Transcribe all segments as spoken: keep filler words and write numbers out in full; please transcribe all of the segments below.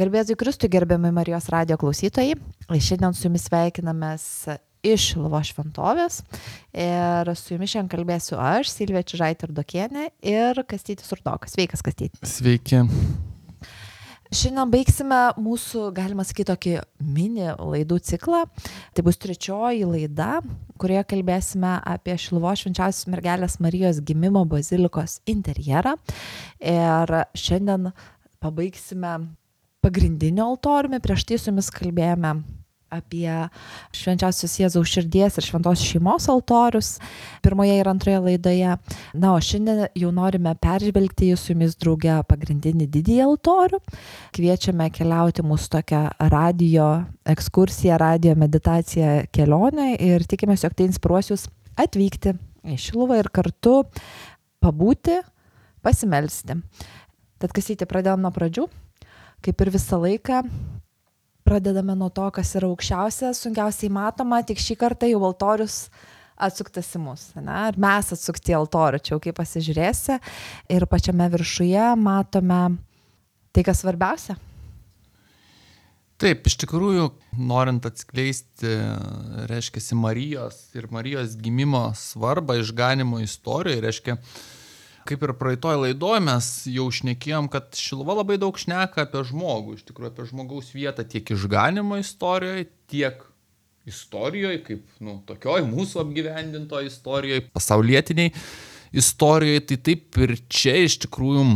Garbėzui Kristui, gerbiami Marijos radijo klausytojai. Šiandien su jumis sveikinamės iš Šiluvos šventovės ir su jumis šiandien kalbėsiu aš, Silvija Čižaitė-Rudokienė ir Kastytis Rudokas. Sveikas, Kastyti. Sveiki. Šiandien baigsime mūsų, galima sakyti, tokį mini laidų ciklą. Tai bus trečioji laida, kurioje kalbėsime apie Šiluvos švenčiausios mergelės Marijos gimimo bazilikos interjerą. Ir šiandien pabaigsime pagrindinio altoriumi. Prieš tai su jumis kalbėjome apie švenčiausios Jėzaus širdies ir šventos šeimos altorius pirmoje ir antroje laidoje. Na, o šiandien jau norime peržvelgti su jumis drauge pagrindinį didįjį altorių. Kviečiame keliauti mūsų tokią radio ekskursiją, radio meditaciją kelionę ir tikimės, jog tai inspiruos jūs atvykti į Šiluvą ir kartu pabūti, pasimelsti. Tad Kastytė, pradėjom nuo pradžių. Kaip ir visą laiką, pradedame nuo to, kas yra aukščiausia, sunkiausiai matoma, tik šį kartą jau altorius atsuktas į mus. Ne? Ir mes atsukti į altorių, čia jau kaip pasižiūrėsi. Ir pačiame viršuje matome tai, kas svarbiausia. Taip, iš tikrųjų, norint atskleisti, reiškia, Marijos ir Marijos gimimo svarbą išganimo istorijoje, reiškia, kaip ir praeitoj laidoj mes jau šnekėjom, kad Šiluva labai daug šneka apie žmogų, iš tikrųjų apie žmogaus vietą tiek išganimo istorijoje, tiek istorijoje, kaip nu, tokioj mūsų apgyvendintoje istorijoje, pasaulietiniai istorijoje. Tai taip ir čia iš tikrųjų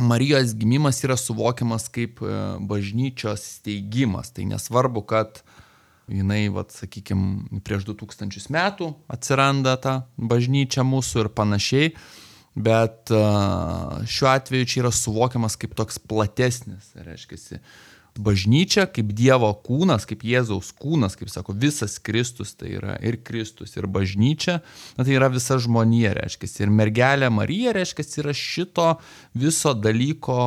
Marijos gimimas yra suvokiamas kaip bažnyčios steigimas. Tai nesvarbu, kad jinai, vat, sakykime, prieš du tūkstančius metų atsiranda ta bažnyčia mūsų ir panašiai. Bet uh, šiuo atveju čia yra suvokiamas kaip toks platesnis, reiškia, bažnyčia kaip Dievo kūnas, kaip Jėzaus kūnas, kaip sako, visas Kristus, tai yra ir Kristus, ir bažnyčia, na, tai yra visa žmonija, reiškia, ir mergelė Marija, reiškia, yra šito viso dalyko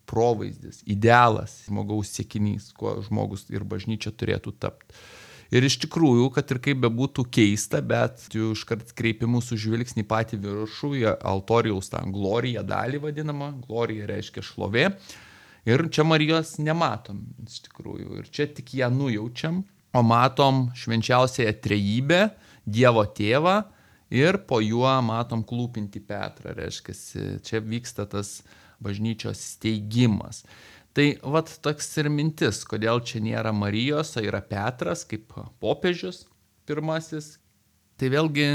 provaizdis, idealas, žmogaus siekinys, kuo žmogus ir bažnyčia turėtų tapti. Ir iš tikrųjų, kad ir kaip bebūtų keista, bet jau iškart kreipi mūsų žvilgsnį patį viršų, į altorijaus tą gloriją dalį vadinamą, glorija reiškia šlovė. Ir čia Marijos nematom, iš tikrųjų. Ir čia tik ją nujaučiam, o matom švenčiausiąją trejybę, Dievo tėvą ir po juo matom klūpinti Petrą, reiškia, čia vyksta tas bažnyčios steigimas. Tai vat toks ir mintis, kodėl čia nėra Marijos, o yra Petras kaip popiežius pirmasis. Tai vėlgi,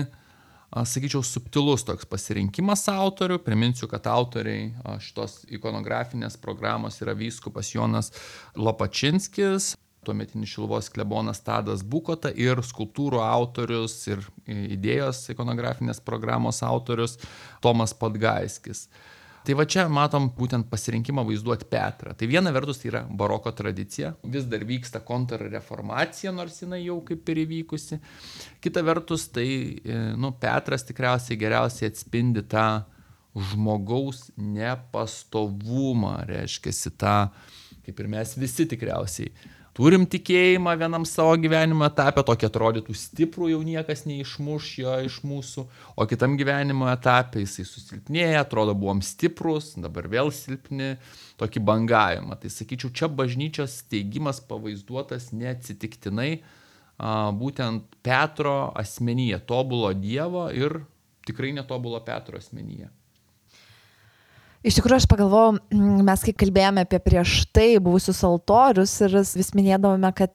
sakyčiau, subtilus toks pasirinkimas autorių. Priminsiu, kad autoriai šitos ikonografinės programos yra vyskupas Jonas Lopačinskis, tuometinis Šiluvos klebonas Tadas Bukota ir skulptūrų autorius ir idėjos ikonografinės programos autorius Tomas Podgaiskis. Tai va čia matom būtent pasirinkimą vaizduoti Petrą. Tai viena vertus tai yra baroko tradicija, vis dar vyksta kontrreformacija, nors jinai jau kaip ir įvykusi. Kita vertus tai, nu, Petras tikriausiai geriausiai atspindi tą žmogaus nepastovumą, reiškia tą, kaip ir mes visi tikriausiai. Turim tikėjimą vienam savo gyvenimo etape, tokį atrodytų stiprų, jau niekas neišmuš jo iš mūsų, o kitam gyvenimo etape jisai susilpnėja, atrodo buvom stiprus, dabar vėl silpni, tokį bangavimą. Tai sakyčiau, čia bažnyčios steigimas pavaizduotas neatsitiktinai, būtent Petro asmenyje, tobulo Dievo ir tikrai netobulo Petro asmenyje. Iš tikrųjų, aš pagalvojau, mes kai kalbėjome apie prieš tai buvusius altorius ir vis minėdavome, kad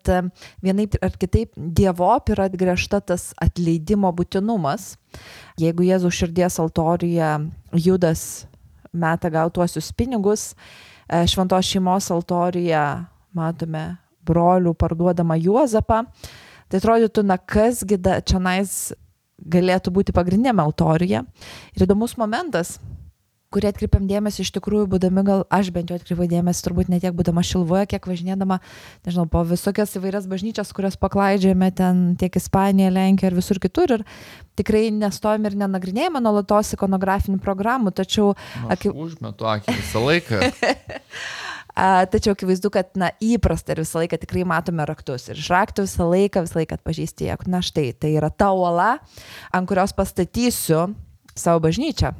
vienaip ar kitaip Dievop yra atgręžta tas atleidimo būtinumas. Jeigu Jėzaus širdies altoriuje Judas meta gautuosius pinigus, šventos šeimos altoriuje matome brolių parduodamą Juozapą, tai atrodytų, na kasgi čionais galėtų būti pagrindinėme altoriuje. Ir įdomus momentas, kurį atkreipiam dėmesį iš tikrųjų, būdami, gal aš bent jau atkreipiu dėmesį, turbūt ne tiek būdama Šiluvoje, kiek važinėdama, nežinau, po visokias įvairias bažnyčias, kurias paklaidžiame ten tiek Ispanija, Lenkija ir visur kitur. Ir tikrai nestojame ir nenagrinėjame nuolatos ikonografinių programų, tačiau... Na, aš užmetu akį visą laiką. Tačiau akivaizdu, kad na, įprasta ir visą laiką tikrai matome raktus. Ir iš raktų visą laiką, visą laiką atpažįsti, jog na štai, tai yra ta uola, ant kurios pastatysiu savo bažnyčią.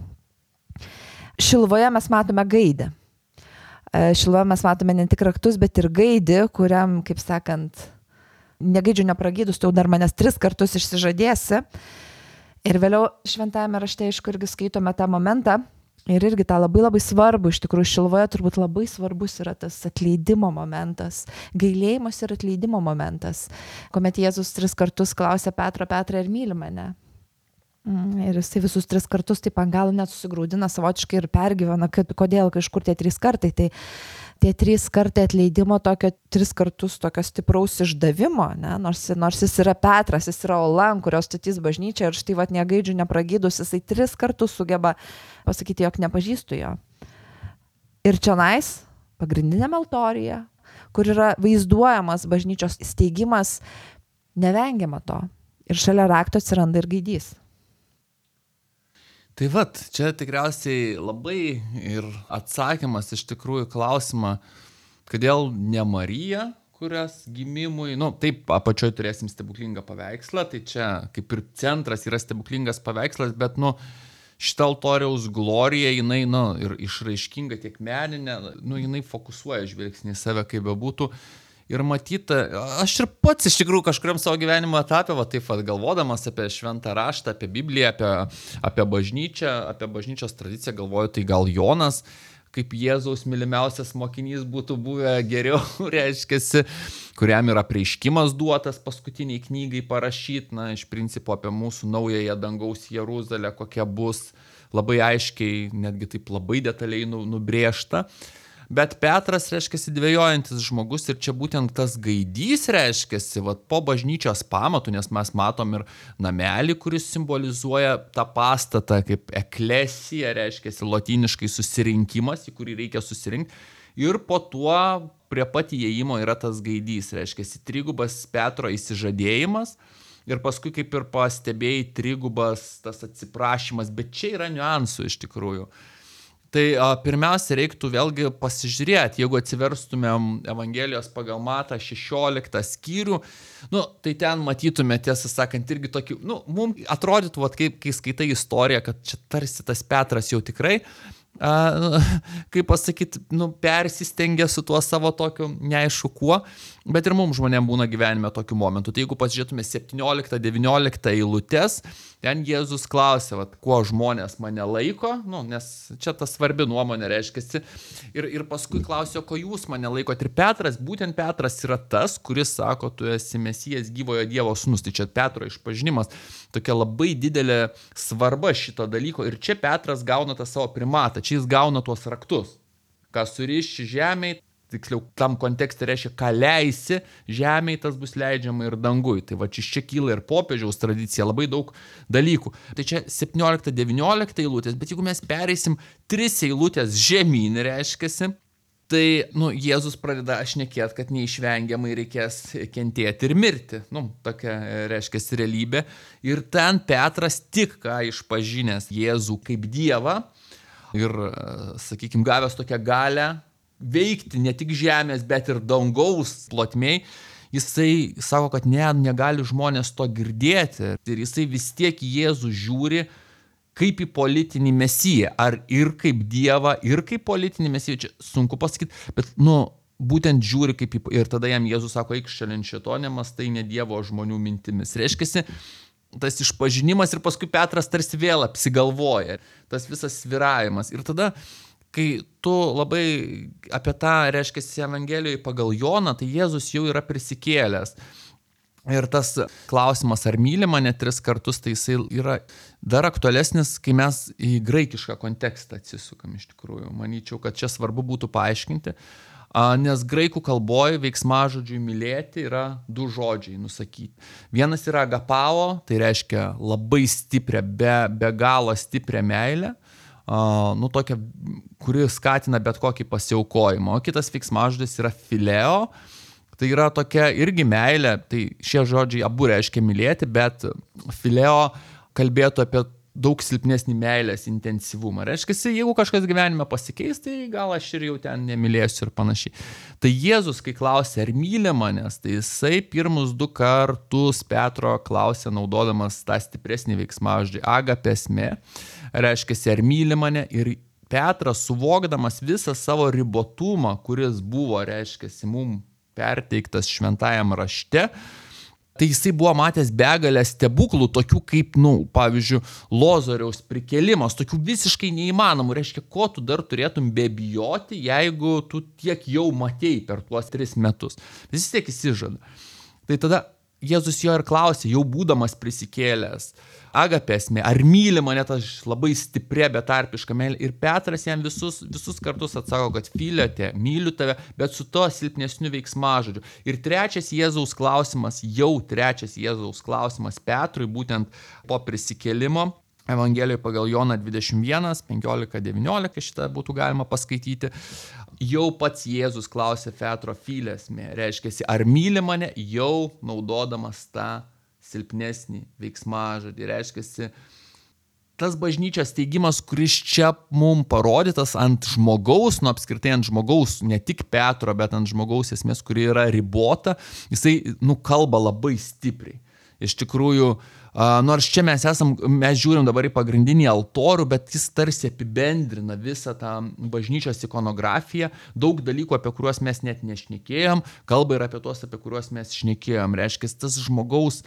Šiluvoje mes matome gaidę. Šiloje mes matome ne tik raktus, bet ir gaidį, kuriam, kaip sakant, negaidžiu nepragydus, tu jau dar manęs tris kartus išsižadėsi. Ir vėliau šventajame rašte, aišku, irgi skaitome tą momentą. Ir irgi tą labai labai svarbu, iš tikrųjų Šiloje turbūt labai svarbus yra tas atleidimo momentas, gailėjimas ir atleidimo momentas, kuomet Jėzus tris kartus klausė Petro, Petrą, ar myli mane. Ir jisai visus tris kartus taip ant galo net susigraudina savotiškai ir pergyvena, kad kodėl kažkur tie trys kartai. Tai tie trys kartai atleidimo tokio, tris kartus tokio stipraus išdavimo, ne? nors, nors jis yra Petras, jis yra Ola, kurios statys bažnyčia ir štai vat negaidžių nepragydus, jisai tris kartus sugeba pasakyti, jog nepažįstu jo. Ir čionais, pagrindinėme altorijoje, kur yra vaizduojamas bažnyčios steigimas, nevengiama to. Ir šalia rakto atsiranda ir gaidys. Tai vat, čia tikriausiai labai ir atsakymas iš tikrųjų klausimą, kodėl ne Marija, kurios gimimui, nu taip, apačioj turėsim stebuklingą paveikslą, tai čia kaip ir centras yra stebuklingas paveikslas, bet nu šitą altoriaus gloriją, jinai, nu, ir išraiškinga tiek meninė, nu, jinai fokusuoja žvilgsnį į save, kaip bebūtų. Ir matyta, aš ir pats iš tikrųjų kažkuriam savo gyvenimo etapė, va taip pat galvodamas apie šventą raštą, apie Bibliją, apie, apie bažnyčią, apie bažnyčios tradiciją, galvoju, tai gal Jonas, kaip Jėzaus mylimiausias mokinys būtų buvę geriau, reiškiasi, kuriam yra apreiškimas duotas paskutiniai knygai parašyti, na, iš principo apie mūsų naująją dangaus Jeruzalę, kokia bus, labai aiškiai, netgi taip labai detaliai nubrėžta. Bet Petras, reiškiasi, dvejojantis žmogus ir čia būtent tas gaidys, reiškiasi, vat, po bažnyčios pamatų, nes mes matom ir namelį, kuris simbolizuoja tą pastatą kaip eklesija, reiškiasi, lotyniškai susirinkimas, į kurį reikia susirinkti. Ir po tuo prie pat įėjimo yra tas gaidys, reiškiasi, trigubas Petro įsižadėjimas. Ir paskui, kaip ir pastebėjai, trigubas tas atsiprašymas, bet čia yra niuansų iš tikrųjų. Tai a, pirmiausia, reiktų vėlgi pasižiūrėti, jeigu atsiverstumėm Evangelijos pagal Matą šešioliktą skyrių, nu, tai ten matytume, tiesą sakant, irgi tokį, nu, mums atrodytų, vat, kaip, kai skaitai istoriją, kad čia tarsi tas Petras jau tikrai, a, kaip pasakyti, nu, persistengia su tuo savo tokiu neaišku kuo, bet ir mums žmonėm būna gyvenime tokių momentų. Tai jeigu pasižiūrėtume septynioliktą devynioliktą eilutes, ten Jėzus klausė, vat, kuo žmonės mane laiko, nu, nes čia ta svarbi nuomonė reiškiasi. Ir, ir paskui klausė, ko jūs mane laikot. Ir Petras, būtent Petras yra tas, kuris sako, tu esi Mesijas gyvojo Dievo sūnus. Tai čia Petro išpažinimas, tokia labai didelė svarba šito dalyko. Ir čia Petras gauna tą savo primatą, čia jis gauna tuos raktus. Ką suriši žemėj, tiksliau, tam kontekste reiškia, ką leisi žemėj, tas bus leidžiama ir dangui. Tai va, čia kyla ir popiežiaus tradicija, labai daug dalykų. Tai čia septyniolikta devyniolikta eilutės, bet jeigu mes pereisim tris eilutės žemyn, reiškiasi, tai, nu, Jėzus pradeda šnekėti, kad neišvengiamai reikės kentėti ir mirti. Nu, tokia reiškiasi realybė. Ir ten Petras tik ką išpažinęs Jėzų kaip Dievą ir, sakykime, gavęs tokią galę veikti ne tik žemės, bet ir dangaus plotmėj, jisai sako, kad ne, negali žmonės to girdėti. Ir jisai vis tiek Jėzų žiūri kaip į politinį mesiją. Ar ir kaip Dievą, ir kaip politinį mesiją, čia sunku pasakyti, bet, nu, būtent žiūri kaip į... Ir tada jam Jėzus sako, eik šalin šito, nemastai ne Dievo žmonių mintimis. Reiškiasi, tas išpažinimas ir paskui Petras tarsi vėl apsigalvoja. Tas visas sviravimas. Ir tada... Kai tu labai apie tą, reiškia, Evangelijoje pagal Joną, tai Jėzus jau yra prisikėlęs. Ir tas klausimas, ar myli mane tris kartus, tai jisai yra dar aktualesnis, kai mes į graikišką kontekstą atsisukam iš tikrųjų. Manyčiau, kad čia svarbu būtų paaiškinti, nes graikų kalboje veiksmažodžiui mylėti yra du žodžiai nusakyti. Vienas yra agapao, tai reiškia labai stiprią, be, be galo stiprią meilę. Uh, nu, tokia, kuri skatina bet kokį pasiaukojimą. O kitas veiksmažodis yra fileo, tai yra tokia irgi meilė, tai šie žodžiai abu reiškia mylėti, bet fileo kalbėtų apie daug silpnesnį meilės intensyvumą. Reiškia, jeigu kažkas gyvenime pasikeis, tai gal aš ir jau ten nemylėsiu ir panašiai. Tai Jėzus, kai klausė, ar myli manęs, tai jisai pirmus du kartus Petro klausė, naudodamas tą stipresnį veiksmažodį agapesmė. Reiškia, ar myli mane, ir Petras, suvokdamas visą savo ribotumą, kuris buvo, reiškiasi, mum perteiktas šventajam rašte, tai jisai buvo matęs begalę stebuklų, tokių kaip, nu, pavyzdžiui, Lozoriaus prikėlimas, tokių visiškai neįmanomų. Reiškia, ko tu dar turėtum bebijoti, jeigu tu tiek jau matėjai per tuos tris metus. Vis tiek įsižada. Tai tada Jėzus jo ir klausė, jau būdamas prisikėlęs, Agapė esmė, ar myli mane tas labai stiprė betarpiška meilė. Ir Petras jam visus, visus kartus atsako, kad Filiote, myliu tave, bet su to silpnesniu veiksmažodžiu. Ir trečias Jėzaus klausimas, jau trečias Jėzaus klausimas Petrui, būtent po prisikėlimo, Evangelijoje pagal Joną dvidešimt vienas, penkiolika, devyniolika, šitą būtų galima paskaityti. Jau pats Jėzus klausė Petro Filesmė, reiškia, ar myli mane, jau naudodamas tą silpnesnį veiksmažodį. Reiškia, tas bažnyčios teigimas, kuris čia mums parodytas ant žmogaus, nu apskritai ant žmogaus, ne tik Petro, bet ant žmogaus esmės, kuri yra ribota, jisai, nu, kalba labai stipriai. Iš tikrųjų, nors čia mes esam, mes žiūrim dabar į pagrindinį altorių, bet jis tarsi apibendrina visą tą bažnyčios ikonografiją, daug dalykų, apie kuriuos mes net nešnekėjom, kalba ir apie tuos, apie kuriuos mes šnekėjom. Reiškia, tas žmogaus,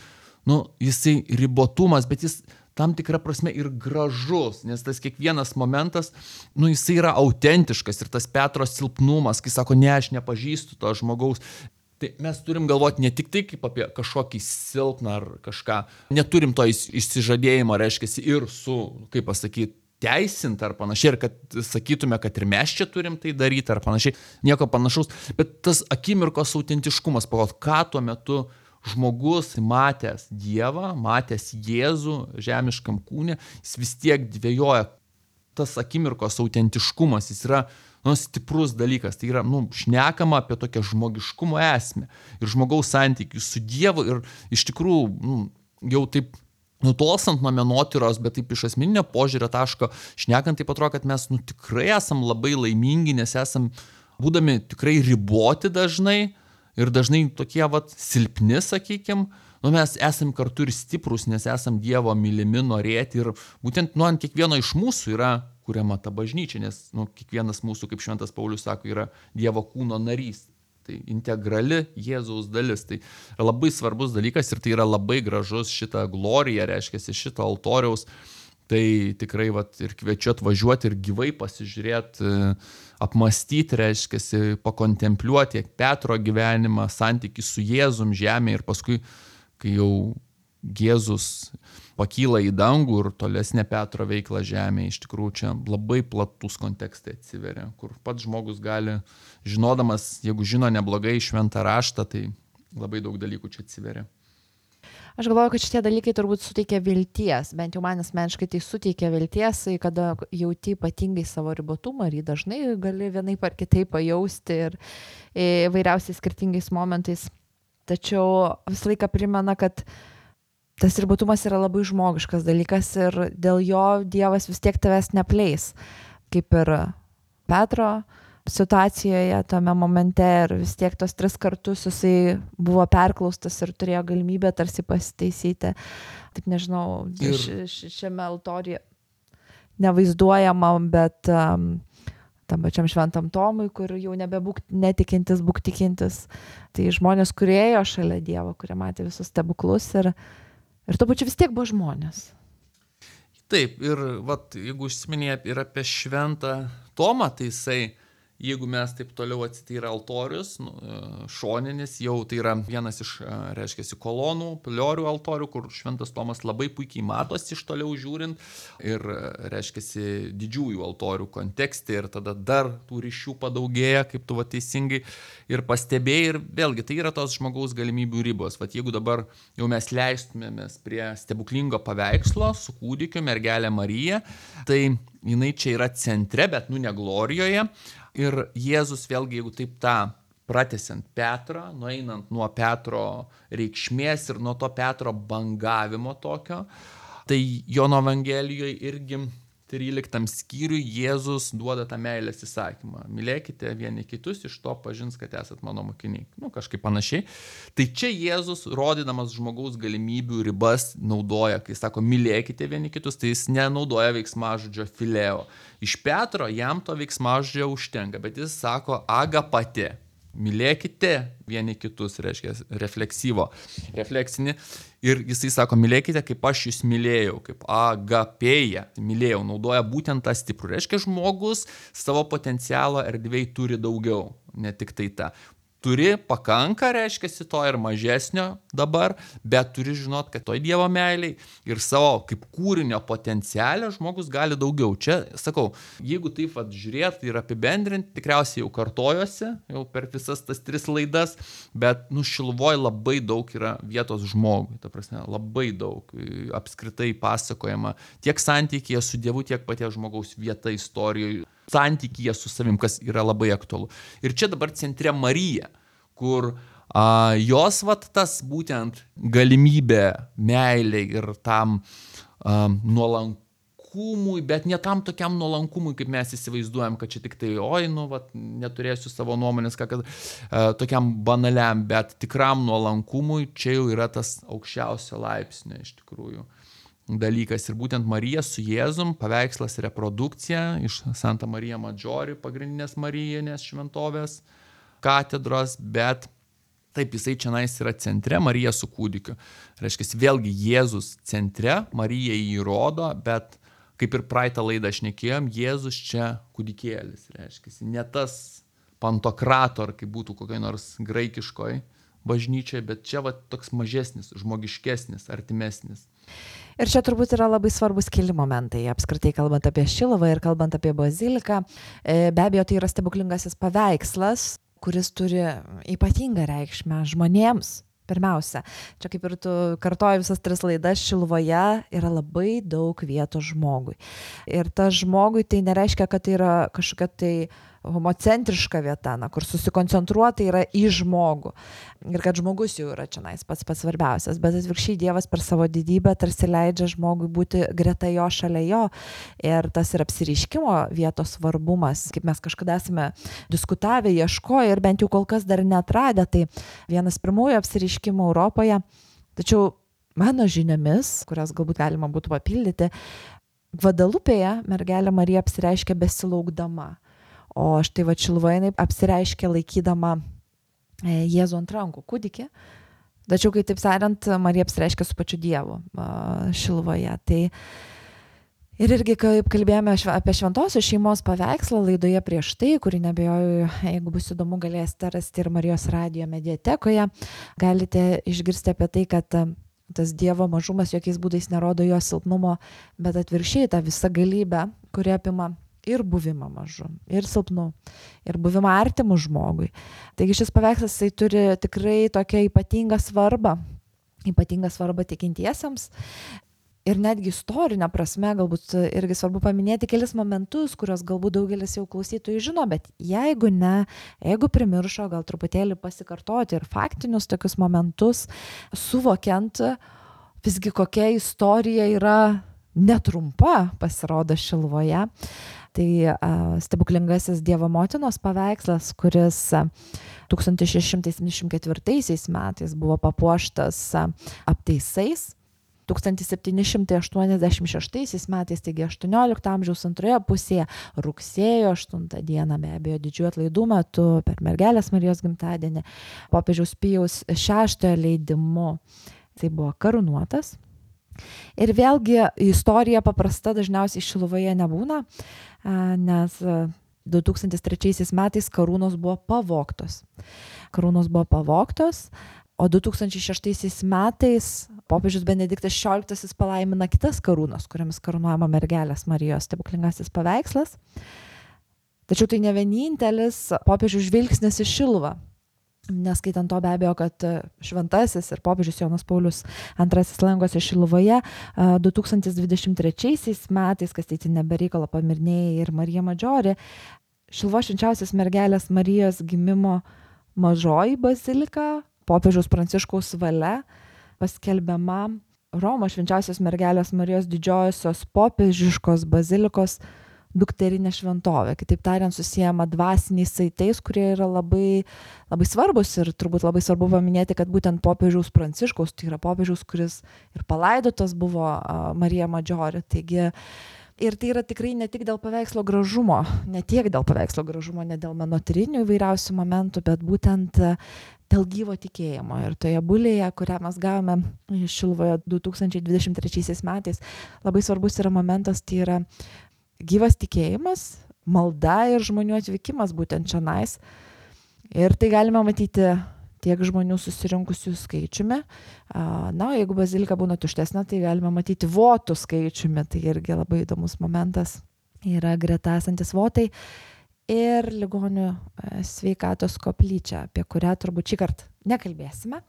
nu, jisai ribotumas, bet jis tam tikrą prasme ir gražus, nes tas kiekvienas momentas, nu, jisai yra autentiškas ir tas Petro silpnumas, kai sako, ne, aš nepažįstu to žmogaus. Tai mes turim galvoti ne tik tai kaip apie kažkokį silpną ar kažką, neturim to išsižadėjimo, reiškia, ir su, kaip pasakyti, teisint ar panašiai, ir kad sakytume, kad ir mes čia turim tai daryti ar panašiai, nieko panašaus, bet tas akimirkos autentiškumas, pagal ką tuo metu žmogus matęs Dievą, matęs Jėzų žemiškam kūne, jis vis tiek dvejoja. Tas akimirkos autentiškumas, jis yra, nu, stiprus dalykas, tai yra, nu, šnekama apie tokią žmogiškumo esmę ir žmogaus santykių su Dievu ir iš tikrųjų, nu, jau taip nutolstant nuo menotyros, bet taip iš asmeninio požiūrio taško šnekant, taip atrodo, kad mes, nu, tikrai esam labai laimingi, nes esam, būdami tikrai riboti dažnai ir dažnai tokie, vat, silpni, sakykim, nu, mes esam kartu ir stiprus, nes esam Dievo mylimi, norėti ir būtent, nu, ant kiekvieno iš mūsų yra kuriama ta bažnyčia, nes, nu, kiekvienas mūsų, kaip šventas Paulius sako, yra Dievo kūno narys. Tai integrali Jėzaus dalis. Tai yra labai svarbus dalykas ir tai yra labai gražus šitą gloriją, reiškia, šito altoriaus. Tai tikrai, vat, ir kviečiu atvažiuoti ir gyvai pasižiūrėti, apmastyti, reiškia, pakontempliuoti tiek Petro gyvenimą, santykį su Jėzum žemė ir paskui, kai jau Jėzus pakyla į dangų ir tolesnė Petro veikla žemėje, iš tikrųjų čia labai platus kontekstai atsiveria, kur pats žmogus gali, žinodamas, jeigu žino neblogai šventą raštą, tai labai daug dalykų čia atsiveria. Aš galvoju, kad šitie dalykai turbūt suteikia vilties, bent jau man asmeniškai tai suteikia vilties, kada jauti ypatingai savo ribotumą ir jį dažnai gali vienaip ar kitaip pajausti ir įvairiausiais skirtingais momentais. Tačiau visą laiką primena, kad tas ribotumas yra labai žmogiškas dalykas ir dėl jo Dievas vis tiek tavęs nepleis, kaip ir Petro situacijoje tame momente ir vis tiek tos tris kartus jisai buvo perklaustas ir turėjo galimybę tarsi pasitaisyti. Taip nežinau, ir... š, šiame altoriuje nevaizduojama, bet um, tam pačiam šventam Tomui, kur jau nebebūk netikintis, būk tikintis. Tai žmonės, kurie ėjo šalia Dievo, kurie matė visus stebuklus ir Ir tuo pačiu vis tiek buvo žmonės. Taip, ir vat, jeigu užsiminė ir apie šventą Tomą, tai jisai, jeigu mes taip toliau atsityra altorius, nu, šoninis, jau tai yra vienas iš, reiškia, kolonų, piliorių altorių, kur šventas Tomas labai puikiai matosi iš toliau žiūrint ir, reiškia, didžiųjų altorių kontekste ir tada dar tų ryšių padaugėja, kaip tu va teisingai ir pastebėjai ir vėlgi tai yra tos žmogaus galimybių ribos. Vat jeigu dabar jau mes leistumėmės prie stebuklingo paveikslo su kūdikiu mergelė Marija, tai jinai čia yra centre, bet nu ne glorijoje. Ir Jėzus vėlgi, jeigu taip tą pratęsiant Petrą, nueinant nuo Petro reikšmės ir nuo to Petro bangavimo tokio, tai Jono Evangelijoje irgi tryliktam skyriui Jėzus duoda tą meilės įsakymą. Mylėkite vieni kitus, iš to pažins, kad esat mano mokiniai. Nu, kažkaip panašiai. Tai čia Jėzus, rodydamas žmogaus galimybių ribas, naudoja, kai sako, mylėkite vieni kitus, tai jis nenaudoja veiksmažodžio fileo. Iš Petro jam to veiksmažodžio užtenka, bet jis sako agapate. Mylėkite vieni kitus, reiškia refleksyvo, refleksinį. Ir jisai sako, mylėkite, kaip aš jūs mylėjau, kaip agapėja, mylėjau, naudoja būtent tą stiprų. Reiškia, žmogus savo potencialo erdvėj turi daugiau, ne tik tai tą. Turi pakanka, reiškia, to ir mažesnio dabar, bet turi žinot, kad toj Dievo meiliai ir savo kaip kūrinio potencialę žmogus gali daugiau. Čia, sakau, jeigu taip vat žiūrėt ir apibendrinti, tikriausiai jau kartojosi, jau per visas tas tris laidas, bet nu Šiluvoj labai daug yra vietos žmogui, ta prasme, labai daug apskritai pasakojama tiek santykyje su Dievu, tiek paties žmogaus vieta istorijoje, santykyje su savim, kas yra labai aktualu. Ir čia dabar centre Marija, kur a, jos vat tas būtent galimybė meiliai ir tam a, nuolankumui, bet ne tam tokiam nuolankumui, kaip mes įsivaizduojam, kad čia tik tai, oi, nu, vat, neturėsiu savo nuomonės, ką, kad a, tokiam banaliam, bet tikram nuolankumui čia jau yra tas aukščiausio laipsnio iš tikrųjų dalykas. Ir būtent Marija su Jėzum, paveikslas reprodukcija iš Santa Marija Maggiore, pagrindinės Marijinės šventovės katedros, bet taip jisai čionais yra centre, Marija su kūdikiu. Reiškia, vėlgi Jėzus centre, Marija jį rodo, bet kaip ir praeitą laidą šnekėjom, Jėzus čia kūdikėlis, reiškia, ne tas pantokrator, kaip būtų kokioj nors graikiškoj bažnyčiai, bet čia va toks mažesnis, žmogiškesnis, artimesnis. Ir čia turbūt yra labai svarbus keli momentai, apskritai kalbant apie Šiluvą ir kalbant apie baziliką. Be abejo, tai yra stebuklingasis paveikslas, kuris turi ypatingą reikšmę žmonėms. Pirmiausia, čia kaip ir tu kartoji visas tris laidas, Šiluvoje yra labai daug vietos žmogui. Ir tas žmogui tai nereiškia, kad tai yra kažkokia tai homocentriška vieta, na, kur susikoncentruota yra į žmogų. Ir kad žmogus jau yra čionais pats pats svarbiausias, bet atvirkščiai Dievas per savo didybę tarsi leidžia žmogui būti greta jo, šalia jo. Ir tas ir apsireiškimo vietos svarbumas, kaip mes kažkada esame diskutavę, ieškoję ir bent jau kol kas dar neatradę, tai vienas pirmųjų apsireiškimų Europoje. Tačiau mano žiniomis, kurias galbūt galima būtų papildyti, Gvadalupėje mergelė Marija apsireiškia besilaukdama. O štai va Šiluvoje jinai apsireiškia laikydama Jėzų ant rankų kūdikį. Tačiau, kai taip sakant, Marija apsireiškia su pačiu Dievu Šiluvoje. Tai ir irgi, kaip kalbėjome apie šventosios šeimos paveikslą laidoje prieš tai, kurį nebejoju, jeigu bus įdomu, galėsite rasti ir Marijos radijo mediatekoje. Galite išgirsti apie tai, kad tas Dievo mažumas jokiais būdais nerodo jo silpnumo, bet atvirkščiai tą visą galybę, kuri apima ir buvimą mažu, ir silpnu, ir buvimą artimu žmogui. Taigi šis paveikslas jisai turi tikrai tokią ypatingą svarbą, ypatingą svarbą tikintiesiems. Ir netgi istorinę prasme, galbūt irgi svarbu paminėti kelis momentus, kurios galbūt daugelis jau klausytojų žino, bet jeigu ne, jeigu primiršo, gal truputėlį pasikartoti ir faktinius tokius momentus, suvokiant visgi kokia istorija yra netrumpa, pasirodo Šiluvoje. Tai uh, stebuklingasis Dievo motinos paveikslas, kuris uh, tūkstantis šeši šimtai septyniasdešimt ketvirtaisiais metais buvo papuoštas uh, aptaisais. tūkstantis septyni šimtai aštuoniasdešimt šeštaisiais metais, taigi aštuoniolikto amžiaus antroje pusėje, rugsėjo aštuntą dieną, be abejo, didžiųjų atlaidų metu, per mergelės Marijos gimtadienį, popiežiaus Pijaus šeštojo leidimu, tai buvo karūnuotas. Ir vėlgi istorija paprasta dažniausiai Šiluvoje nebūna, nes du tūkstantis trečiaisiais metais karūnos buvo pavogtos. Karūnos buvo pavogtos, o du tūkstančiai šeštaisiais metais popiežius Benediktas šešioliktasis palaimina kitas karūnos, kuriamis karūnuojama mergelės Marijos stebuklingasis paveikslas. Tačiau tai ne vienintelis popiežių žvilgsnis į Šiluvą. Neskaitant to be abejo, kad šventasis ir popiežius Jonas Paulius antrasis lankosi Šiluvoje du tūkstantis dvidešimt trečiaisiais metais, kas tai nebereikalo pamirnėjai ir Marija Maggiore, Šiluvos švenčiausios mergelės Marijos gimimo mažoji bazilika, popiežiaus Pranciškaus valia, paskelbiama Romos švenčiausios mergelės Marijos didžiosios popiežiškos bazilikos dukterinė šventovė. Kitaip tariant, susijama dvasiniais saitais, kurie yra labai, labai svarbus ir turbūt labai svarbu paminėti, kad būtent popiežiaus Pranciškaus, tai yra popiežiaus, kuris ir palaidotas buvo Marija Maggiore. Taigi, ir tai yra tikrai ne tik dėl paveikslo gražumo, ne tiek dėl paveikslo gražumo, ne dėl menotyrinių įvairiausių momentų, bet būtent dėl gyvo tikėjimo. Ir toje bulėje, kurią mes gavome Šiluvoje du tūkstančiai dvidešimt trečiaisiais metais, labai svarbus yra momentas, tai yra gyvas tikėjimas, malda ir žmonių atvykimas būtent čionais. Ir tai galime matyti tiek žmonių susirinkusių skaičiumi. Na, jeigu bazilika būna tuštesnė, tai galime matyti votų skaičiumi. Tai irgi labai įdomus momentas. Yra greta esantis votai ir ligonių sveikatos koplyčia, apie kurią turbūt šį kartą nekalbėsime.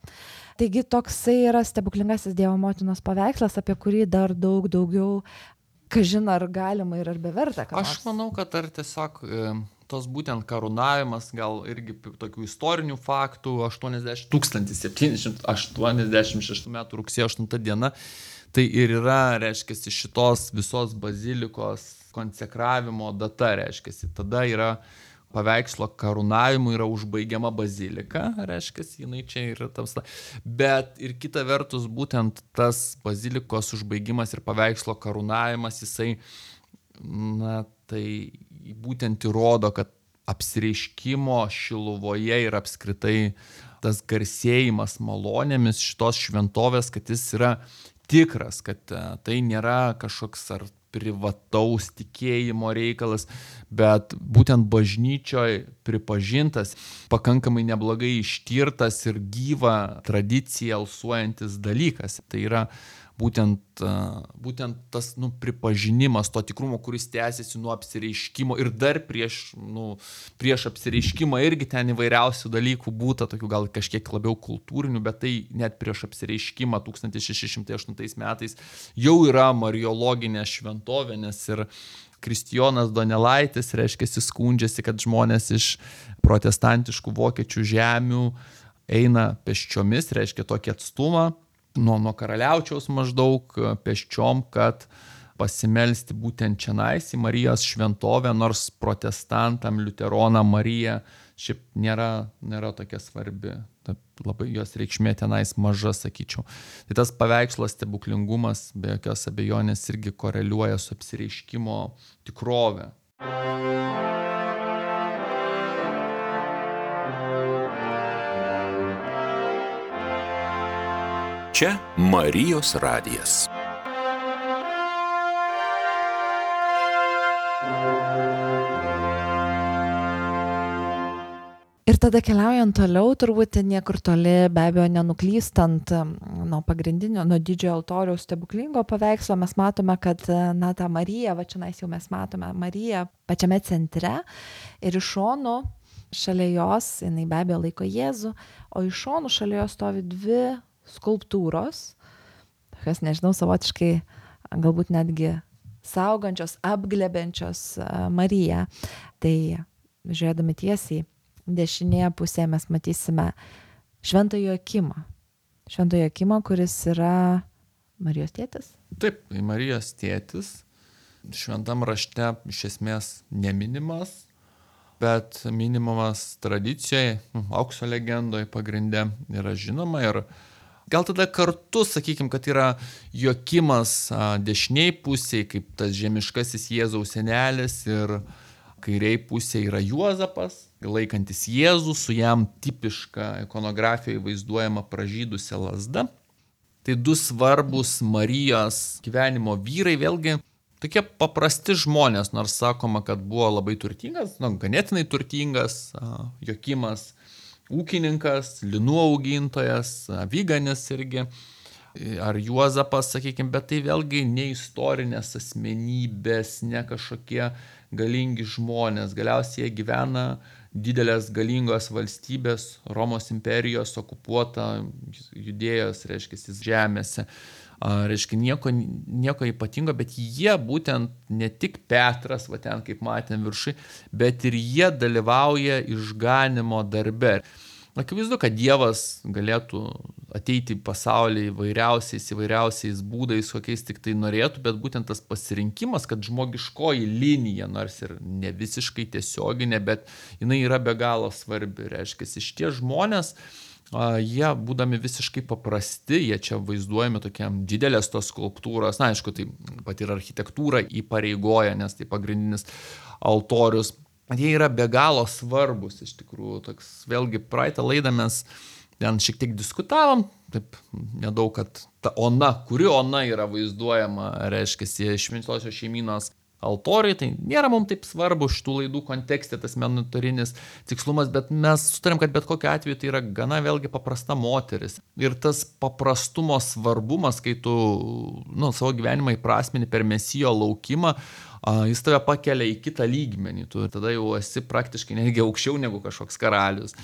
Taigi toksai yra stebuklingasis Dievo motinos paveikslas, apie kurį dar daug daugiau kažin ar galima ir ar beverta. Aš manau, kad ar tiesiog e, tos būtent karūnavimas, gal irgi tokių istorinių faktų, tūkstantis septyni šimtai aštuoniasdešimt šeštų metų rugsėjo aštunta diena, tai ir yra, reiškia, šitos visos bazilikos konsekravimo data, reiškia, tada yra paveikslo karūnavimu yra užbaigiama bazilika, reiškia, jinai čia yra tamsta. Bet ir kita vertus, būtent tas bazilikos užbaigimas ir paveikslo karūnavimas, jisai, na, tai būtent įrodo, kad apsireiškimo Šiluvoje ir apskritai tas garsėjimas malonėmis šitos šventovės, kad jis yra tikras, kad tai nėra kažkoks ar privataus tikėjimo reikalas, bet būtent bažnyčioje pripažintas, pakankamai neblogai ištirtas ir gyva tradicija alsuojantis dalykas. Tai yra būtent, būtent tas nu, pripažinimas to tikrumo, kuris tęsiasi nuo apsireiškimo ir dar prieš, nu, prieš apsireiškimą irgi ten įvairiausių dalykų būta, tokių gal kažkiek labiau kultūrinių, bet tai net prieš apsireiškimą tūkstantis šeši šimtai aštuntais metais jau yra mariologinė šventovė, nes ir Kristijonas Donelaitis, reiškia, skundžiasi, kad žmonės iš protestantiškų vokiečių žemių eina pėsčiomis, reiškia tokį atstumą, nuo, nuo Karaliaučiaus maždaug pėsčiom, kad pasimelsti būtent čionais į Marijos šventovę, nors protestantam, liuteronam Marija šiaip nėra, nėra tokia svarbi. Labai jos reikšmė tenais maža, sakyčiau. Tai tas paveikslo stebuklingumas be jokios abejonės irgi koreliuoja su apsireiškimo tikrove. Čia Marijos radijas. Ir tada keliaujant toliau, turbūt niekur toli, be abejo, nenuklystant nuo pagrindinio, nuo didžiojo altoriaus stebuklingo paveikslo, mes matome, kad na, ta Marija, va čia jau mes matome Mariją pačiame centre ir iš šonų šalia jos, jinai be abejo laiko Jėzų, o iš šonų šalia jos stovi dvi skulptūros, tokios, nežinau, savotiškai galbūt netgi saugančios, apglebenčios Mariją. Tai žiūrėdami tiesiai, dešinėje pusėje mes matysime Šventąjį Joakimą. Šventąjį Joakimą, kuris yra Marijos tėtis. Taip, Marijos tėtis. Šventam rašte iš esmės neminimas, bet minimamas tradicijoje, aukso legendoje pagrinde yra žinoma. Ir gal tada kartu, sakykime, kad yra Joakimas dešiniai pusėje, kaip tas žemiškasis Jėzaus senelis, ir kairiai pusėje yra Juozapas, laikantis Jėzų, su jam tipiška ikonografijoje vaizduojama pražydusia lazda. Tai du svarbus Marijos gyvenimo vyrai, vėlgi tokie paprasti žmonės, nors sakoma, kad buvo labai turtingas, nu, ganėtinai turtingas, Joakimas ūkininkas, linų augintojas, aviganis irgi, ar Juozapas, sakykime, bet tai vėlgi ne istorinės asmenybės, ne kažkokie galingi žmonės. Galiausiai jie gyvena didelės galingos valstybės, Romos imperijos okupuota Judėjos, reiškia, žemėse. Reiškia, nieko, nieko ypatingo, bet jie būtent ne tik Petras, va ten kaip matėm viršui, bet ir jie dalyvauja išganimo darbe. Akivaizdu, kad Dievas galėtų ateiti į pasaulį įvairiausiais, įvairiausiais būdais, kokiais tik tai norėtų, bet būtent tas pasirinkimas, kad žmogiškoji linija, nors ir ne visiškai tiesioginė, bet jinai yra be galo svarbi. Reiškia, šitie žmonės, jie būdami visiškai paprasti, jie čia vaizduojami tokiam didelės tos skulptūros, na aišku, tai pat ir architektūra įpareigoja, nes tai pagrindinis altorius. Jie yra be galo svarbus, iš tikrųjų. Toks, vėlgi, praeitą laidą mes ten šiek tiek diskutavom, taip nedaug, kad ta ona, kuri ona yra vaizduojama, reiškia, šventosios šeimynos altoriai, tai nėra mums taip svarbu šitų laidų kontekste, tas menotyrinis tikslumas, bet mes sutarėm, kad bet kokiu atveju tai yra gana vėlgi paprasta moteris. Ir tas paprastumo svarbumas, kai tu nu, savo gyvenimą įprasmini per Mesijo laukimą, jis tave pakelia į kitą lygmenį, tu tada jau esi praktiškai netgi aukščiau negu kažkoks karalius.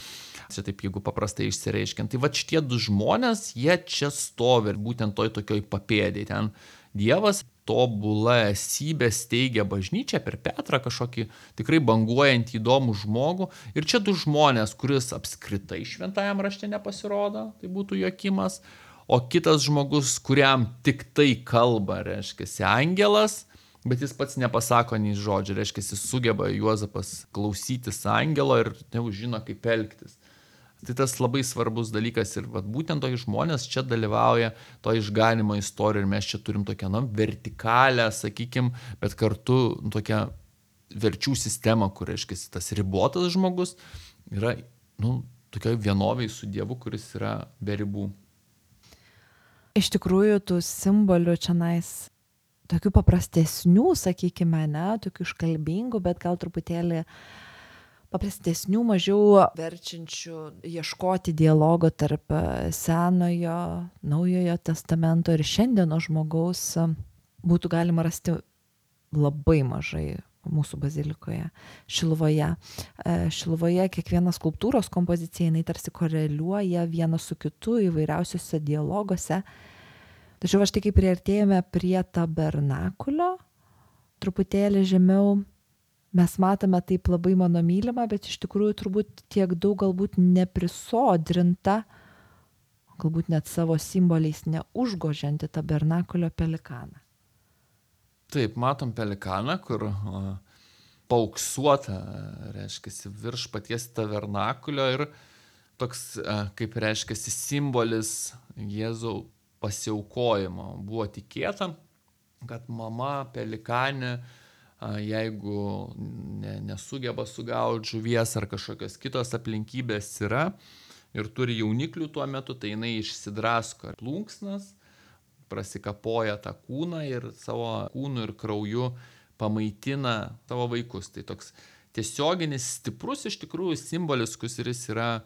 Čia taip, jeigu paprastai išsireiškiant. Tai va šitie du žmonės, jie čia stovi būtent toj tokioj papėdėj. Ten Dievas tobula esybė steigia bažnyčią per Petrą, kažkokį tikrai banguojantį įdomų žmogų. Ir čia du žmonės, kuris apskritai šventajam rašte nepasirodo, tai būtų Joakimas, o kitas žmogus, kuriam tik tai kalba, reiškia, angelas, bet jis pats nepasako nei žodžio, reiškia, jis sugeba Juozapas klausytis angelo ir jau žino, kaip elgtis. Tai tas labai svarbus dalykas ir vat, būtent tokie žmonės čia dalyvauja to išganimo istorijoje ir mes čia turim tokią nu, vertikalę, sakykim, bet kartu nu, tokią verčių sistemą, kur, reiškia, tas ribotas žmogus yra nu, tokioj vienoviai su Dievu, kuris yra be ribų. Iš tikrųjų, tų simbolių čionais tokių paprastesnių, sakykime, ne, tokių iškalbingų, bet gal truputėlį paprastesnių, mažiau verčiančių ieškoti dialogo tarp Senojo, Naujojo testamento ir šiandieno žmogaus būtų galima rasti labai mažai mūsų bazilikoje, Šiluvoje. Šiluvoje kiekviena skulptūros kompozicija, jinai tarsi koreliuoja viena su kitu įvairiausiuose dialoguose. Tačiau aš tik kai priartėjome prie tabernakulio, truputėlį žemiau, mes matome taip labai mano mylimą, bet iš tikrųjų turbūt tiek daug galbūt neprisodrinta, galbūt net savo simboliais neužgožianti tabernakulio pelikaną. Taip, matom pelikaną, kur o, paauksuota, reiškia, virš paties tabernakulio ir toks, kaip reiškia, simbolis Jėzaus pasiaukojimo. Buvo tikėta, kad mama pelikanė, jeigu ne, nesugeba sugauti žuvies ar kažkokios kitos aplinkybės yra ir turi jauniklių tuo metu, tai jinai išsidrasko plunksnas, prasikapoja tą kūną ir savo kūnu ir krauju pamaitina savo vaikus. Tai toks tiesioginis, stiprus iš tikrųjų simbolis, kuris yra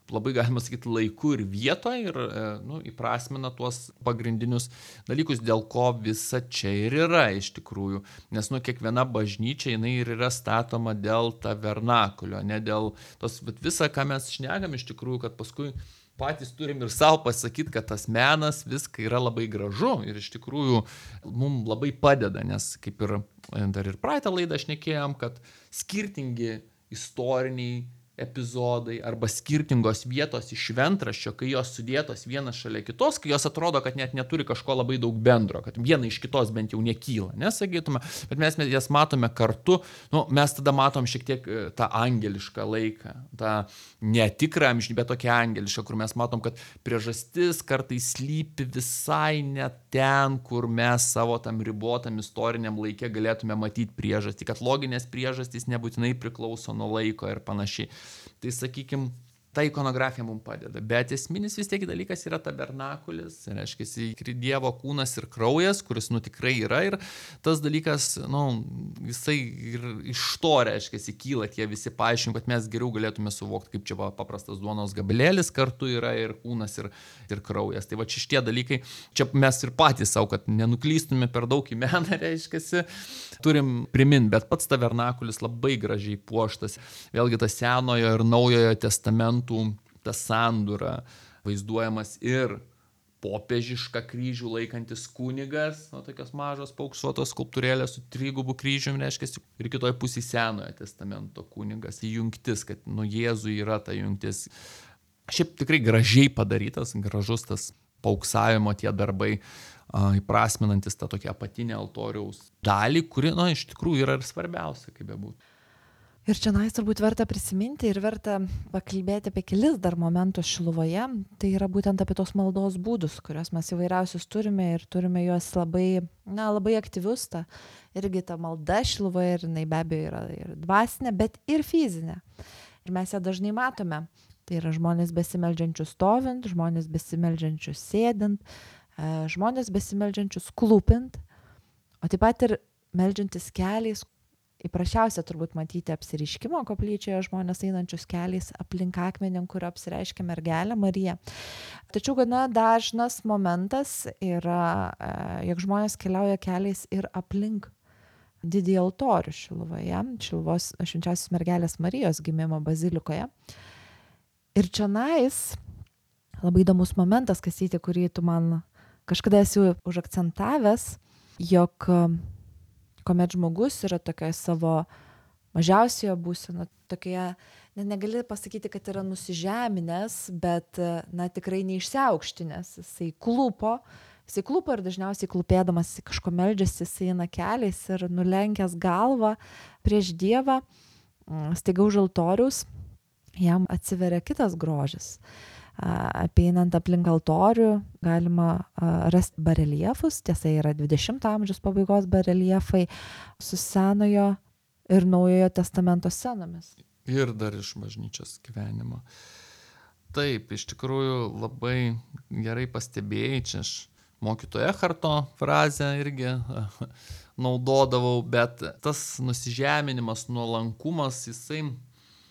labai galima sakyti laiku ir vietoje ir nu, įprasmina tuos pagrindinius dalykus, dėl ko visa čia ir yra iš tikrųjų. Nes nu, kiekviena bažnyčia jinai ir yra statoma dėl tabernakulio, ne dėl tos, bet visa, ką mes šnekam iš tikrųjų, kad paskui patys turim ir savo pasakyti, kad tas menas viską yra labai gražu ir iš tikrųjų mums labai padeda, nes kaip ir dar ir praeitą laidą šnekėjom, kad skirtingi istoriniai epizodai arba skirtingos vietos iš šventraščio, kai jos sudėtos vienas šalia kitos, kai jos atrodo, kad net neturi kažko labai daug bendro, kad viena iš kitos bent jau nekyla, nesakytume, bet mes jas matome kartu, nu, mes tada matom šiek tiek tą angelišką laiką, tą netikrą amžinybę, bet tokią angelišką, kur mes matom, kad priežastis kartais slypi visai ne ten, kur mes savo tam ribotam istoriniam laike galėtume matyti priežastį, kad loginės priežastys nebūtinai priklauso nuo laiko ir panašiai. Tai sakykim, ta ikonografija mums padeda, bet esminis vis tiek dalykas yra tabernakulis, reiškia, Dievo kūnas ir kraujas, kuris nu tikrai yra ir tas dalykas, nu, jisai ir iš to, reiškia, kyla tie visi paaiškinimai, kad mes geriau galėtume suvokti, kaip čia paprastas duonos gabalėlis kartu yra ir kūnas ir, ir kraujas. Tai va čia šitie dalykai, čia mes ir patys savo, kad nenuklystume per daug į meną, reiškia, turim priminti, bet pats tabernakulis labai gražiai puoštas, vėlgi tas Senojo ir Naujojo testamentų ta sandūra vaizduojamas ir popiežišką kryžių laikantis kunigas, o tokios mažos paauksuotos skulptūrėlės su trigubu kryžiumi, reiškia, ir kitoj pusėje Senojo testamento kunigas, jungtis, kad nu Jėzui yra ta jungtis. Šiaip tikrai gražiai padarytas, gražus tas pauksavimo tie darbai, a, įprasminantis tą tokią apatinę altoriaus dalį, kuri, na, iš tikrųjų yra ir svarbiausia, kaip bebūtų. Ir čia nais turbūt verta prisiminti ir verta pakalbėti apie kelis dar momentus Šiluvoje. Tai yra būtent apie tos maldos būdus, kuriuos mes įvairiausius turime ir turime juos labai, na, labai aktyvius. Ta, irgi ta malda Šiluvoje ir jinai be abejo yra ir dvasinė, bet ir fizinė. Ir mes ją dažnai matome. Tai yra žmonės besimeldžiančius stovint, žmonės besimeldžiančius sėdint, žmonės besimeldžiančius klūpint, o taip pat ir meldžiantis keliais. Įprašiausia turbūt matyti apsireiškimo koplyčioje žmonės einančius keliais aplink akmenį, kur apsireiškia mergelė Marija. Tačiau gana dažnas momentas yra, jog žmonės keliauja keliais ir aplink didįjį altorių Šiluvoje, Šiluvos švenčiausios mergelės Marijos gimimo bazilikoje. Ir čionais labai įdomus momentas, Kastyti, kurį tu man kažkada esi užakcentavęs, jog kuomet žmogus yra tokioje savo mažiausioje būsenoje, tokioje, ne, negali pasakyti, kad yra nusižeminęs, bet, na, tikrai neišsiaukštinęs. Jisai klūpo, jisai klūpo ir dažniausiai klūpėdamas kažko meldžiasi, jisai eina keliais ir nulenkęs galvą prieš Dievą, staiga už altoriaus, jam atsiveria kitas grožis. Apeinant aplink altorių galima rasti bareliefus, tiesa yra dvidešimto amžiaus pabaigos bareliefai su Senojo ir Naujojo testamento scenomis. Ir dar iš bažnyčios gyvenimo. Taip, iš tikrųjų labai gerai pastebėjai, čia aš mokytojo Echarto frazę irgi naudodavau, bet tas nusižeminimas, nuolankumas, jisai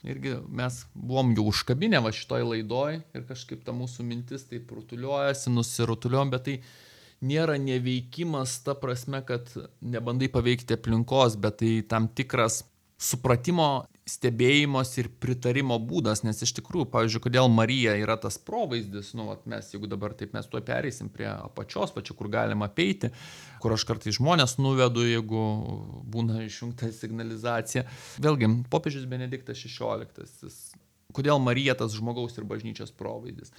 irgi mes buvom jau užkabinę va šitoj laidoj ir kažkaip ta mūsų mintis taip rutuliuojasi, nusirutuliuojam, bet tai nėra neveikimas ta prasme, kad nebandai paveikti aplinkos, bet tai tam tikras supratimo, stebėjimos ir pritarimo būdas, nes iš tikrųjų, pavyzdžiui, kodėl Marija yra tas provaizdis, nu, vat mes, jeigu dabar taip mes tuo pereisim prie apačios, pačiu, kur galima apeiti, kur aš kartais žmonės nuvedu, jeigu būna išjungta signalizacija. Vėlgi, popiežius Benediktas šešioliktasis. Kodėl Marija tas žmogaus ir bažnyčios provaizdis?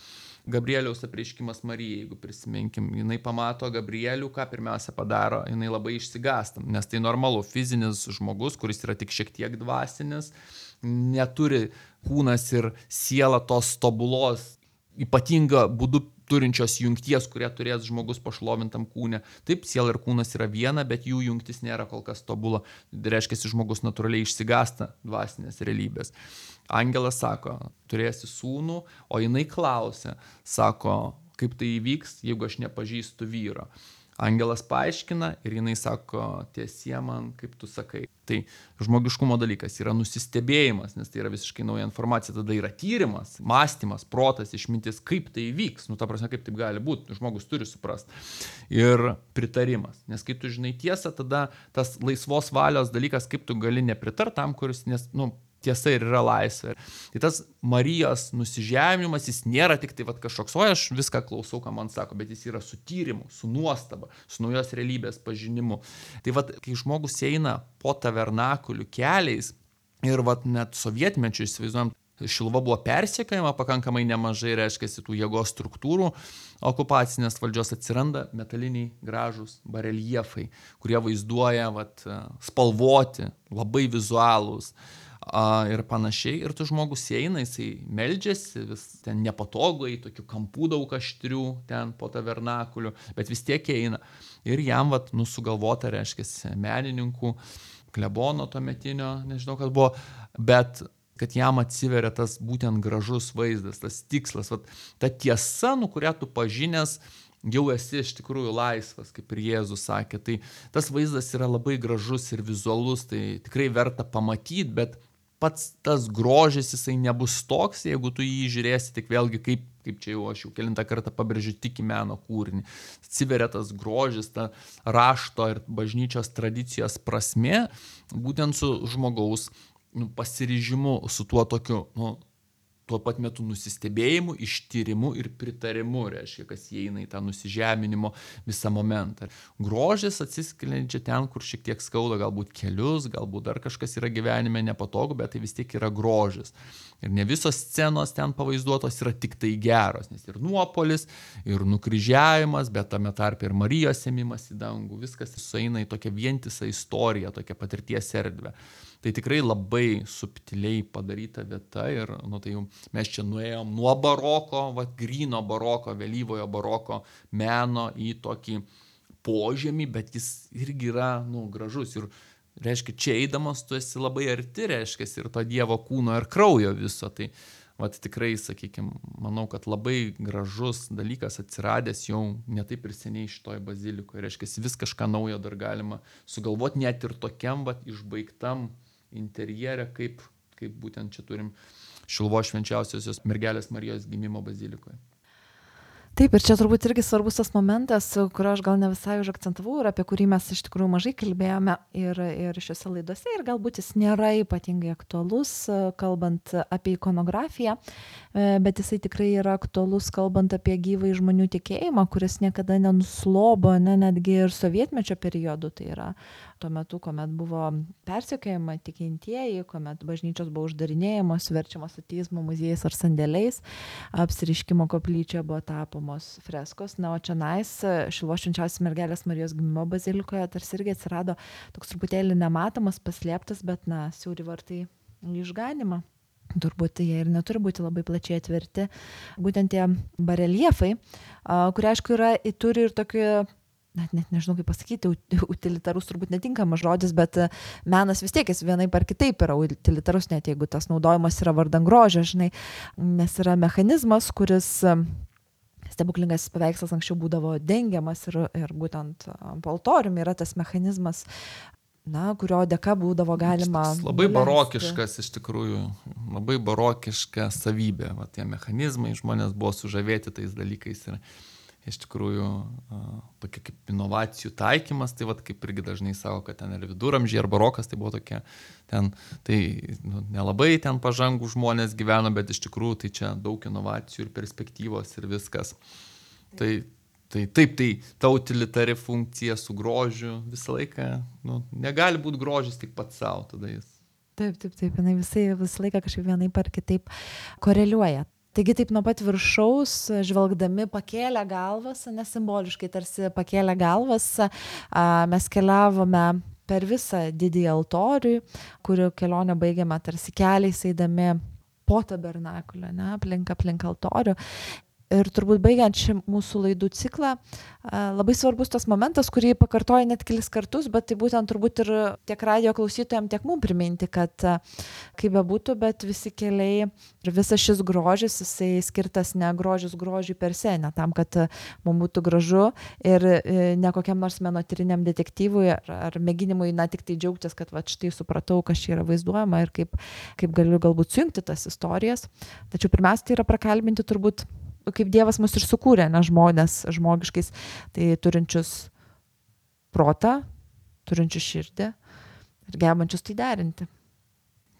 Gabrieliaus apreiškimas Marijai, jeigu prisiminkim, jinai pamato Gabrielių, ką pirmiausia padaro, jinai labai išsigąsta, nes tai normalu, fizinis žmogus, kuris yra tik šiek tiek dvasinis, neturi kūnas ir siela tos tobulos, ypatinga būdu turinčios jungties, kurie turės žmogus pašlovintam kūne. Taip, siela ir kūnas yra viena, bet jų jungtis nėra kol kas tobula. Reiškia, žmogus natūraliai išsigąsta dvasinės realybės. Angelas sako, turėsi sūnų, o jinai klausia, sako, kaip tai įvyks, jeigu aš nepažįstu vyro. Angelas paaiškina ir jinai sako, tiesie man, kaip tu sakai. Tai žmogiškumo dalykas yra nusistebėjimas, nes tai yra visiškai nauja informacija, tada yra tyrimas, mąstymas, protas, išmintis, kaip tai įvyks, nu ta prasme, kaip taip gali būti, žmogus turi suprasti. Ir pritarimas, nes kai tu žinai tiesą, tada tas laisvos valios dalykas, kaip tu gali nepritart tam, kuris, nes, nu, tiesa ir yra laisvė. Tai tas Marijos nusižeminimas, jis nėra tik tai vat, kažkoks, o aš viską klausau, ką man sako, bet jis yra su tyrimu, su nuostaba, su naujos realybės pažinimu. Tai vat, kai žmogus eina po tabernakulių keliais ir vat, net sovietmečių, įsivaizduojam, Šiluva buvo persekiojama pakankamai nemažai, reiškia, tų jėgos struktūrų okupacinės valdžios, atsiranda metaliniai gražūs bareliefai, kurie vaizduoja vat, spalvoti, labai vizualūs. A, ir panašiai, ir tu žmogus eina, jisai meldžiasi, vis ten nepatogai, tokių kampų daug aštrių ten po tabernakulių, bet vis tiek eina. Ir jam, vat, nu, sugalvota, reiškia, menininkų, klebono tuometinio, nežinau, kas buvo, bet kad jam atsiveria tas būtent gražus vaizdas, tas tikslas, vat, ta tiesa, nu, kurią tu pažinęs, jau esi iš tikrųjų laisvas, kaip ir Jėzus sakė. Tai tas vaizdas yra labai gražus ir vizualus, tai tikrai verta pamatyti, bet pats tas grožis, jisai nebus toks, jeigu tu jį žiūrėsi tik vėlgi, kaip, kaip čia jau aš jau kelintą kartą pabrėžiu, tik į meno kūrinį. Atsiveria tas grožis, ta rašto ir bažnyčios tradicijos prasmė, būtent su žmogaus nu, pasiryžimu, su tuo tokiu nu, tuo pat metu nusistebėjimu, ištyrimu ir pritarimu, reiškia, kas įeina į tą nusižeminimo visą momentą. Grožis atsiskleidžia ten, kur šiek tiek skauda, galbūt kelius, galbūt dar kažkas yra gyvenime nepatogu, bet tai vis tiek yra grožis. Ir ne visos scenos ten pavaizduotos yra tik tai geros, nes ir nuopolis, ir nukryžiavimas, bet tame tarpe ir Marijos ėmimas į dangų, viskas sueina į tokią vientisą istoriją, tokią patirties erdvę. Tai tikrai labai subtiliai padaryta vieta ir nu, tai jau mes čia nuėjom nuo baroko, va, gryno baroko, vėlyvojo baroko meno į tokį požemį, bet jis irgi yra nu, gražus. Ir reiškia, čia eidamas tu esi labai arti, reiškia, ir to Dievo kūno ir kraujo viso. Tai vat, tikrai, sakykime, manau, kad labai gražus dalykas atsiradęs jau ne taip ir seniai šitoj bazilikoje. Reiškia, vis kažką naujo dar galima sugalvoti, net ir tokiam vat, išbaigtam interjere, kaip, kaip būtent čia turim Šiluvos švenčiausiosios mergelės Marijos gimimo bazilikoje. Taip, ir čia turbūt irgi svarbus tas momentas, kurio aš gal ne visai užakcentavau ir apie kurį mes iš tikrųjų mažai kalbėjome ir, ir šiuose laidose ir galbūt jis nėra ypatingai aktualus, kalbant apie ikonografiją, bet jisai tikrai yra aktualus, kalbant apie gyvą žmonių tikėjimą, kuris niekada nenuslobo, ne, netgi ir sovietmečio periodu, tai yra tuo metu, kuomet buvo persekiojama tikintieji, kuomet bažnyčios buvo uždarinėjamos, verčiamos ateizmo muziejais ar sandėliais, apsireiškimo koplyčia buvo tapomos freskos, na, o čionais Šiluvos švenčiausios mergelės Marijos gimimo bazilikoje tarsi irgi atsirado toks truputėlį nematomas, paslėptas, bet, na, siauri vartai į išganymą. Turbūt jie ir neturi būti labai plačiai atverti. Būtent tie bareljefai, kurie, aišku, yra, turi ir tokį, net, net nežinau kaip pasakyti, utilitarus turbūt netinkamas žodis, bet menas vis tiek jis vienaip ar kitaip yra utilitarus, net jeigu tas naudojimas yra vardan grožio, žinai, nes yra mechanizmas, kuris stebuklingas paveikslas anksčiau būdavo dengiamas ir, ir būtent po altoriumi yra tas mechanizmas, na, kurio dėka būdavo galima... Labai barokiškas iš tikrųjų, labai barokiška savybė, va, tie mechanizmai, žmonės buvo sužavėti tais dalykais ir iš tikrųjų tokia kaip inovacijų taikymas, tai vat, kaip irgi dažnai sako, kad ten ir viduramžiai ar barokas, tai buvo tokia, ten, tai nu, nelabai ten pažangų žmonės gyveno, bet iš tikrųjų tai čia daug inovacijų ir perspektyvos ir viskas. Tai Tai taip, tai ta utilitari funkcija su grožiu visą laiką, nu, negali būti grožis tik pats savo, tada jis. Taip, taip, taip, jinai visai, visą laiką kažkaip vienaip ar kitaip koreliuoja. Taigi taip nuo pat viršaus, žvelgdami pakėlę galvas, nesimboliškai tarsi pakėlę galvas, mes keliavome per visą didįjį altorių, kurio kelionę baigėme tarsi keliais eidami po tabernakulio, ne, aplink, aplink altorių. Ir turbūt baigiant šį mūsų laidų ciklą, labai svarbus tas momentas, kurį pakartoja net kelis kartus, bet tai būtent turbūt ir tiek radijo klausytojams, tiek mums priminti, kad kaip bebūtų, bet visi keliai ir visas šis grožis, jisai skirtas ne grožis grožiui per se, ne tam, kad mums būtų gražu ir ne kokiam nors menotyriniam detektyvui ar, ar mėginimui, na, tik tai džiaugtis, kad va, štai supratau, kas čia yra vaizduojama ir kaip, kaip galiu galbūt sujungti tas istorijas. Tačiau pirmiausia, tai yra prakalbinti turbūt kaip Dievas mus ir sukūrė, ne, žmonės žmogiškais, tai turinčius protą, turinčius širdį ir gebančius tai derinti.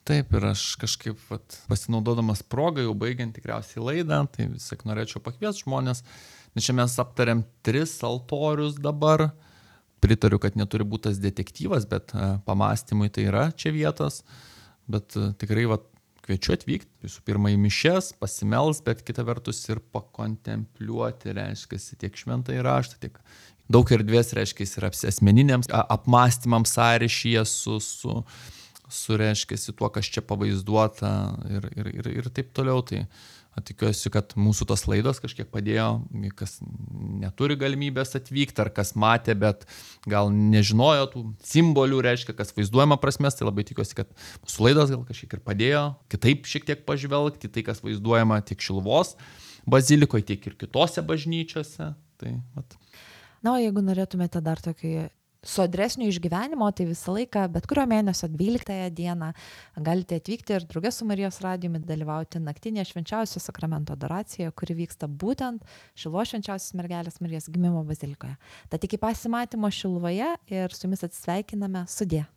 Taip, ir aš kažkaip vat, pasinaudodamas progą, jau baigiant tikriausiai laidą, tai vis tiek norėčiau pakviesti žmonės, nes čia mes aptariam tris altorius dabar, pritariu, kad neturi būti tas detektyvas, bet pamastymui tai yra čia vietos, bet tikrai vat, kviečiu atvykti, visų pirma į mišias, pasimels, bet kita vertus ir pakontempliuoti, reiškia, tiek šventąjį raštą, tiek daug erdvės, reiškia, ir asmeniniams apmąstymams sąryšyje su, su, su reiškia, tuo, kas čia pavaizduota ir, ir, ir, ir taip toliau. Tai tikiuosi, kad mūsų tos laidos kažkiek padėjo, kas neturi galimybės atvykti, ar kas matė, bet gal nežinojo tų simbolių, reiškia, kas vaizduojama prasmės, tai labai tikiuosi, kad mūsų laidos gal kažkiek ir padėjo kitaip šiek tiek pažvelgti, tai kas vaizduojama tiek Šiluvos bazilikoje, tiek ir kitose bažnyčiose. Tai, vat. Na, o jeigu norėtumėte dar tokį sodresnio išgyvenimo, tai visą laiką, bet kurio mėnesio dvyliktąją dieną galite atvykti ir drauge su Marijos radijumi dalyvauti naktinėje švenčiausio sakramento adoracijoje, kuri vyksta būtent Šiluvos švenčiausios mergelės Marijos gimimo bazilikoje. Tad iki pasimatymo Šiluvoje ir su jumis atsisveikiname, sudie.